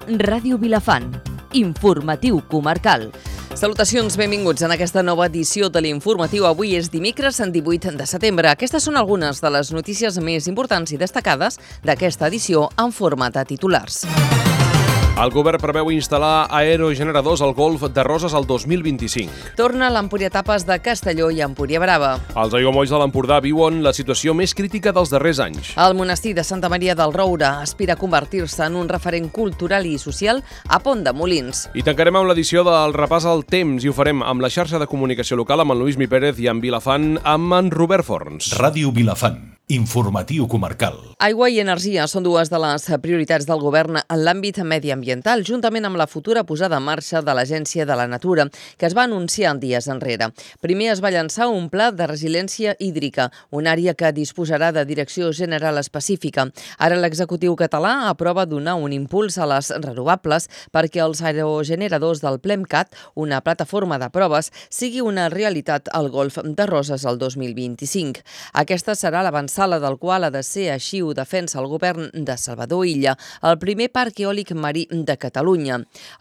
Ràdio Vilafant, informatiu comarcal. Salutacions, benvinguts en aquesta nova edició de l'informatiu. Avui és dimecres, 18 de setembre. Aquestes són algunes de les notícies més importants i destacades d'aquesta edició en format de titulars. El govern preveu instal·lar aerogeneradors al Golf de Roses al 2025. Torna l'Empuriatapes de Castelló i Empúria Brava. Els aiguamolls de l'Empordà viuen la situació més crítica dels darrers anys. El monestir de Santa Maria del Roure aspira a convertir-se en un referent cultural i social a Pont de Molins. I tancarem amb l'edició del repàs al temps i ho farem amb la xarxa de comunicació local amb en Lluís Mi Pérez i en Vilafant amb en Robert Forns. Ràdio Vilafant. Informatiu comarcal. Aigua i energia són dues de les prioritats del govern en l'àmbit mediambiental, juntament amb la futura posada en marxa de l'Agència de la Natura, que es va anunciar dies enrere. Primer es va llançar un pla de resiliència hídrica, una àrea que disposarà de direcció general específica. Ara l'executiu català aprova donar un impuls a les renovables perquè els aerogeneradors del PLEMCAT, una plataforma de proves, sigui una realitat al Golf de Roses el 2025. Aquesta serà l'avançada del qual ha de ser, així ho defensa el govern de Salvador Illa, el primer parc eòlic marí de Catalunya.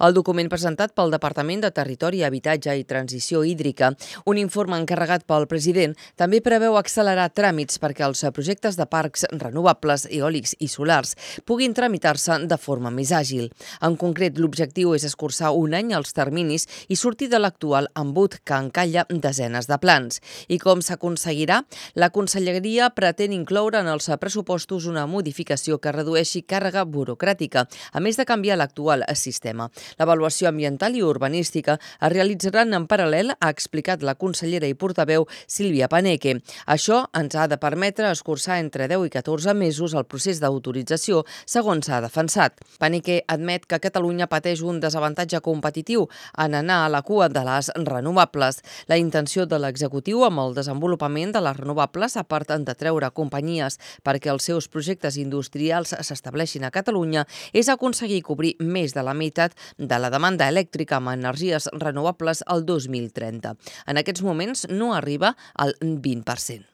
El document presentat pel Departament de Territori, Habitatge i Transició Hídrica, un informe encarregat pel president, també preveu accelerar tràmits perquè els projectes de parcs renovables, eòlics i solars puguin tramitar-se de forma més àgil. En concret, l'objectiu és escurçar un any els terminis i sortir de l'actual embut que encalla desenes de plans. I com s'aconseguirà? La Conselleria pretén incloure en els pressupostos una modificació que redueixi càrrega burocràtica, a més de canviar l'actual sistema. L'avaluació ambiental i urbanística es realitzaran en paral·lel, ha explicat la consellera i portaveu Sílvia Paneque. Això ens ha de permetre escurçar entre 10 i 14 mesos el procés d'autorització, segons s'ha defensat. Paneque admet que Catalunya pateix un desavantatge competitiu en anar a la cua de les renovables. La intenció de l'executiu amb el desenvolupament de les renovables, a part de treure companyies perquè els seus projectes industrials s'estableixin a Catalunya, és aconseguir cobrir més de la meitat de la demanda elèctrica amb energies renovables al 2030. En aquests moments no arriba al 20%.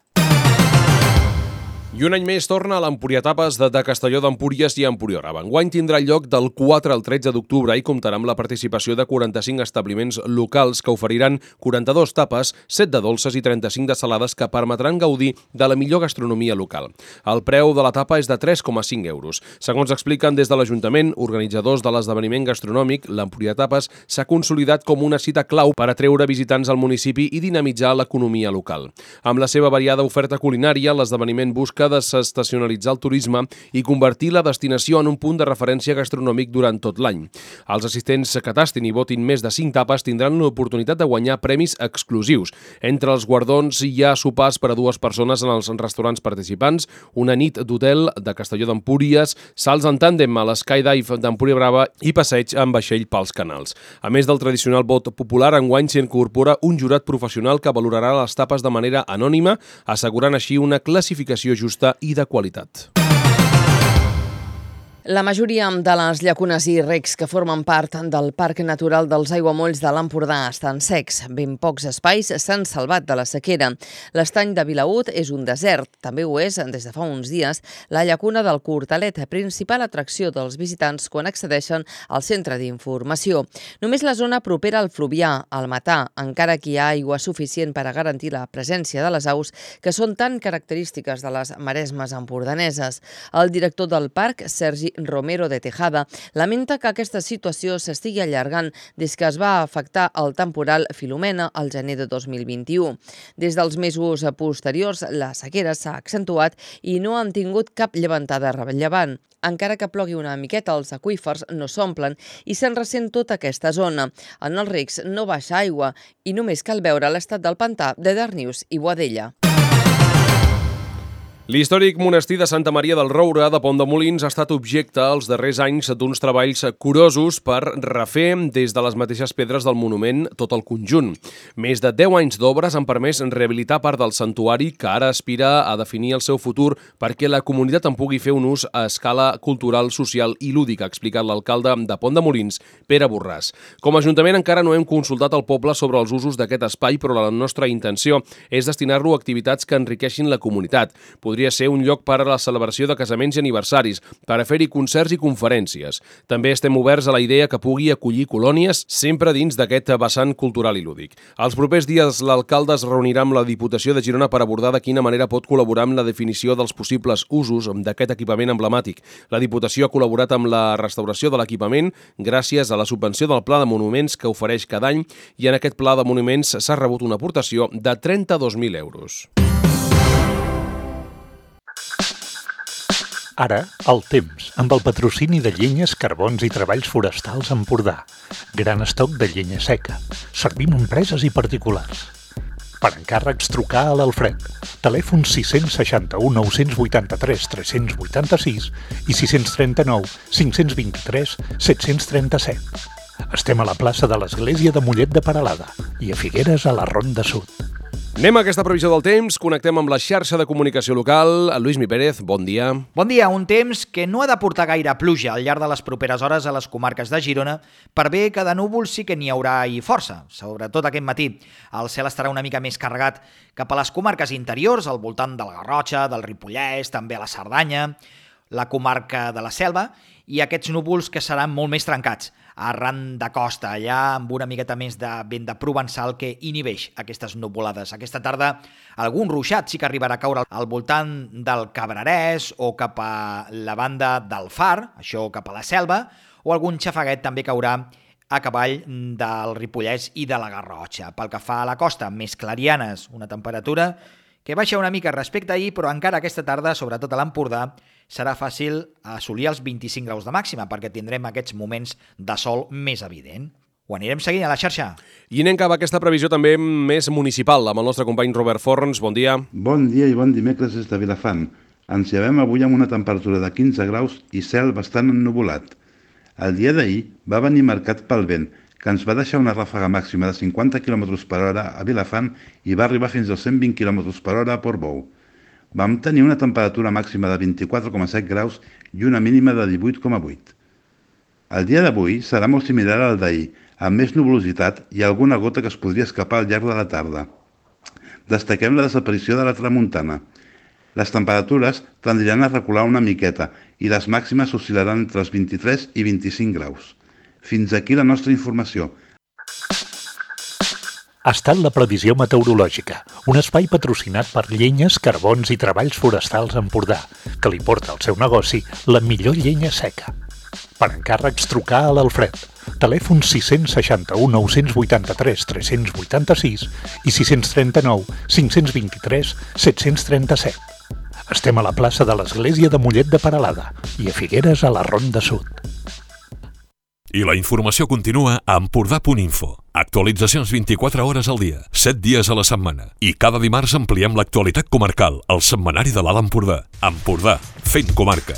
I un any més torna a l'Empuriatapes de Castelló d'Empúries i Empúria Brava. Enguany tindrà lloc del 4 al 13 d'octubre i comptarà amb la participació de 45 establiments locals que oferiran 42 tapes, 7 de dolces i 35 de salades que permetran gaudir de la millor gastronomia local. El preu de la tapa és de 3,5 euros. Segons expliquen des de l'Ajuntament, organitzadors de l'esdeveniment gastronòmic, l'Empuriatapes s'ha consolidat com una cita clau per atreure visitants al municipi i dinamitzar l'economia local. Amb la seva variada oferta culinària, l'esdeveniment busca desestacionalitzar el turisme i convertir la destinació en un punt de referència gastronòmic durant tot l'any. Els assistents que tastin i votin més de 5 tapes tindran l'oportunitat de guanyar premis exclusius. Entre els guardons hi ha sopars per a 2 persones en els restaurants participants, una nit d'hotel de Castelló d'Empúries, salts en tàndem a l'Skydive d'Empúria Brava i passeig amb vaixell pels canals. A més del tradicional vot popular, enguany s'hi incorpora un jurat professional que valorarà les tapes de manera anònima, assegurant així una classificació justa i de qualitat. La majoria de les llacunes i recs que formen part del Parc Natural dels Aiguamolls de l'Empordà estan secs. Ben pocs espais s'han salvat de la sequera. L'estany de Vilaüt és un desert. També ho és, des de fa uns dies, la llacuna del Cortalet, principal atracció dels visitants quan accedeixen al centre d'informació. Només la zona propera al Fluvià, al Matà, encara que hi ha aigua suficient per a garantir la presència de les aus que són tan característiques de les maresmes empordaneses. El director del parc, Sergi Romero de Tejada, lamenta que aquesta situació s'estigui allargant des que es va afectar el temporal Filomena al gener de 2021. Des dels mesos posteriors, la sequera s'ha accentuat i no han tingut cap llevantada rellevant. Encara que plogui una miqueta, els aqüífers no s'omplen i se'n ressent tota aquesta zona. En els recs no baixa aigua i només cal veure l'estat del pantà de Darnius i Boadella. L'històric monestir de Santa Maria del Roure de Pont de Molins ha estat objecte els darrers anys d'uns treballs curosos per refer des de les mateixes pedres del monument tot el conjunt. Més de 10 anys d'obres han permès rehabilitar part del santuari que ara aspira a definir el seu futur perquè la comunitat en pugui fer un ús a escala cultural, social i lúdica, ha explicat l'alcalde de Pont de Molins, Pere Borràs. Com a Ajuntament encara no hem consultat el poble sobre els usos d'aquest espai, però la nostra intenció és destinar-lo a activitats que enriqueixin la comunitat. Podria podria ser un lloc per a la celebració de casaments i aniversaris, per a fer-hi concerts i conferències. També estem oberts a la idea que pugui acollir colònies sempre dins d'aquest vessant cultural i lúdic. Els propers dies l'alcalde es reunirà amb la Diputació de Girona per abordar de quina manera pot col·laborar amb la definició dels possibles usos d'aquest equipament emblemàtic. La Diputació ha col·laborat amb la restauració de l'equipament gràcies a la subvenció del Pla de Monuments que ofereix cada any i en aquest Pla de Monuments s'ha rebut una aportació de 32.000 euros. Ara, el temps, amb el patrocini de Llenyes, Carbons i Treballs Forestals Empordà. Gran estoc de llenya seca. Servim a empreses i particulars. Per encàrrecs, trucar a l'Alfred. Telèfon 661 983 386 i 639 523 737. Estem a la plaça de l'Església de Mollet de Peralada i a Figueres a la Ronda Sud. Anem a aquesta previsió del temps, connectem amb la xarxa de comunicació local. Lluís Pérez, bon dia. Bon dia, un temps que no ha de portar gaire pluja al llarg de les properes hores a les comarques de Girona, per bé que de núvols sí que n'hi haurà i força, sobretot aquest matí. El cel estarà una mica més carregat cap a les comarques interiors, al voltant de la Garrotxa, del Ripollès, també a la Cerdanya, la comarca de la Selva, i aquests núvols que seran molt més trencats, arran de costa, allà amb una miqueta més de vent de provençal que inhibeix aquestes nuvolades. Aquesta tarda algun ruixat sí que arribarà a caure al voltant del Cabrerès o cap a la banda del Far, això cap a la Selva, o algun xafaguet també caurà a cavall del Ripollès i de la Garrotxa. Pel que fa a la costa, més clarianes, una temperatura que baixa una mica respecte a ahir, però encara aquesta tarda, sobretot a l'Empordà, serà fàcil assolir els 25 graus de màxima, perquè tindrem aquests moments de sol més evident. Ho anirem seguint a la xarxa. I anem cap a aquesta previsió també més municipal, amb el nostre company Robert Forns. Bon dia. Bon dia i bon dimecres des de Vilafant. Ens llevem avui amb una temperatura de 15 graus i cel bastant ennuvolat. El dia d'ahir va venir marcat pel vent, que ens va deixar una ràfega màxima de 50 km per hora a Vilafant i va arribar fins als 120 km per hora a Portbou. Vam tenir una temperatura màxima de 24,7 graus i una mínima de 18,8. El dia d'avui serà molt similar al d'ahir, amb més nuvolositat i alguna gota que es podria escapar al llarg de la tarda. Destaquem la desaparició de la tramuntana. Les temperatures tendiran a recular una miqueta i les màximes oscil·laran entre els 23 i 25 graus. Fins aquí la nostra informació. Ha estat la previsió meteorològica, un espai patrocinat per Llenyes, Carbons i Treballs Forestals Empordà, que li porta al seu negoci la millor llenya seca. Per encàrrecs, trucar a l'Alfred. Telèfon 661 983 386 i 639 523 737. Estem a la plaça de l'Església de Mollet de Peralada i a Figueres a la Ronda Sud. I la informació continua a Empordà.info. Actualitzacions 24 hores al dia, 7 dies a la setmana. I cada dimarts ampliem l'actualitat comarcal, al setmanari de l'Alt Empordà. Empordà, fent comarca.